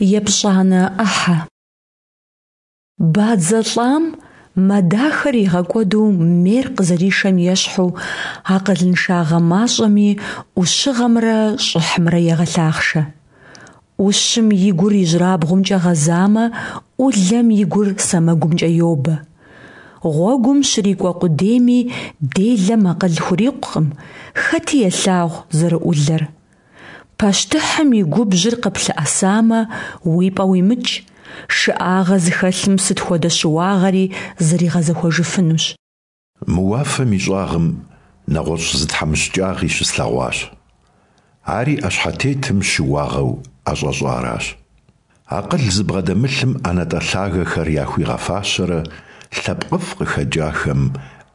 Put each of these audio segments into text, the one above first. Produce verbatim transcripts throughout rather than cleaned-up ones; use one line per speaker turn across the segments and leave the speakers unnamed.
Епщӏанэ ӏыхьэ. Бадзэ лӏам мэ дахэр игъэкӏуэду мер къызэришэм ещхьу, акъылыншагъэ мащӏэми ӏущыгъэмрэ щӏыхьымрэ егъэлъахъшэ. Ӏущым и гур ижьырабгъумкӏэ гъэзамэ, ӏулэм и гур сэмэгумкӏэ йобэ. Гъуэгум щрикӏуэ къудейми делэм акъыл хурикъукъым, хэти елъагъу зэрыӏулэр. Пащтыхьым и губжьыр къыплъэӏэсамэ, уи пӀэ уимыкӀ, шыӀагъэ зыхэлъым сыт хуэдэ щыуагъэри зэригъэзэхуэжыфынущ.
Мы уафэм и щӀагъым нэгъуэщӀ зы тхьэмыщкӀагъи щыслъэгъуащ. Ари ӏэщхьэтетым щыуагъэу ӀэщӀэщӀаращ. Акъыл зыбгъэдэмылъым ӀэнатӀэ лъагэхэр яхуигъэфащэрэ лъэпкъыфӀ къыхэкӀахэм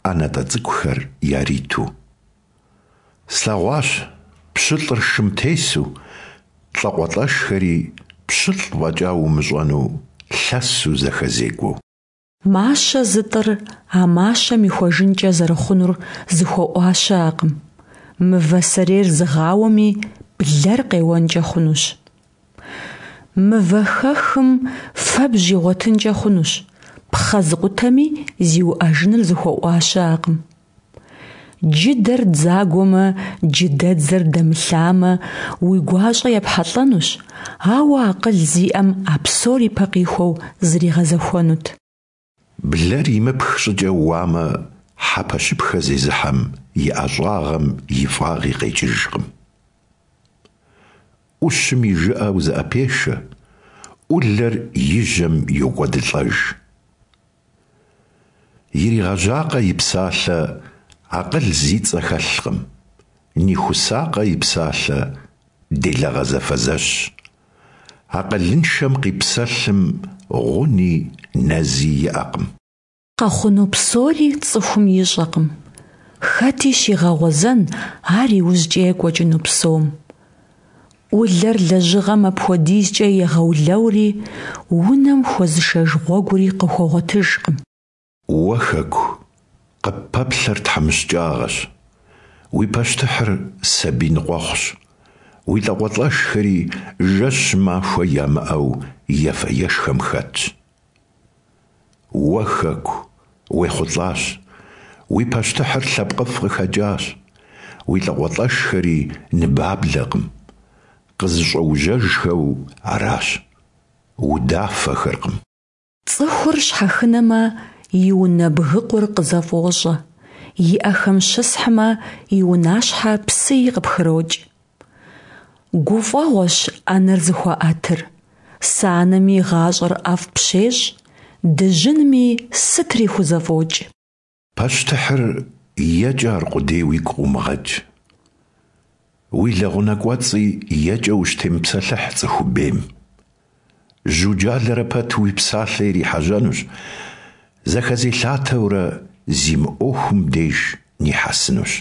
ӀэнатӀэ цӀыкӀухэр яриту. Слъэгъуащ пщылӀыр шым тесу, лӀакъуэлӀэшхэри пщылӀ фӀэкӀа умыщӀэну лъэсу зэхэзекӀуэу.
Мащэ зытӀыр а мащэм ихуэжынкӀэ зэрыхъунур зыхуэӀуа щыӀэкъым. Мывэ сэрейр зыгъауэми блэр къеуэнкӀэ хъунущ. Мывэхэхым фэбжь игъуэтынкӀэ хъунущ, пхъэ зыкъутэми зиуӀэжыныр зыхуэӀуа щыӀэкъым. Джыдэр дзагуэмэ, джыдэдзэр дэмылъамэ, уи гуащӀэ епхьэлӀэнущ, ауэ акъыл зиӀэм а псор ипэ къихуэу зэригъэзэхуэнут.
Блэр имыпх щӀыкӀэ уамэ, хьэпэщыпхэ зезыхьэм и ӀэщӀагъэм и фӀагъи къекӀыжкъым. Ӏущым и жыӀэ узыӀэпешэ, Ӏулэр и жьэм йокӀуэдылӀэж. Иригъэжьакъэ и псалъэ акъыл зи цӀэ хэлъкъым, нихусакъэ и псалъэ делагъэ зэфэзэщщ. Акъылыншэм къипсэлъым гъуни нэзи иӀэкъым.
Къэхъуну псори цӀыхум ищӀэкъым. Хэти щигъэгъуэзэн ар иужькӀэ екӀуэкӀыну псом. Ӏулэр лэжьыгъэм апхуэдизкӀэ егъэулэури, унэм хуэзышэж гъуэгури къыхуэгъуэтыжкъым.
Уэ, Хэку, къыппэплъэр тхьэмыщкӀагъэщ, уи пащтыхьыр сабий ныкъуэхъущ, уи лӀакъуэлӀэшхэри жэщ-махуэ ямыӀэу ефэ-ешхэм хэтщ. Уэ, Хэку, уехъулӀащ, уи пащтыхьыр лъэпкъыфӀ къыхэкӀащ, уи лӀакъуэлӀэшхэри ныбаблэкъым, къызэщӀэужьэжхэу аращ, удафэхэркъым.
ЦӀыхур щхьэхынэмэ, и унэ бгыкъур къызэфӀощӀэ, и Ӏэхэм щысхьмэ, и унащхьэ псыи къыпхрокӀ. ГуфӀэгъуэщ Ӏэнэр зыхуаӀэтыр, санэми гъащӀэр ӀэфӀ пщещӀ, дыжьынми сытри хузэфӀокӀ.
Пащтыхьыр екӀэ аркъудей уигу къыумыгъэкӀ. Уи лэгъунэ кӀуэцӀи екӀэ ущытемыпсэлъыхь цӀыху бейм. Жьуджалэрэ пэт уи псалъэ ирихьэжьэнущ, зэхэзелъатэурэ зимыӀуэхум деж нихьэсынущ.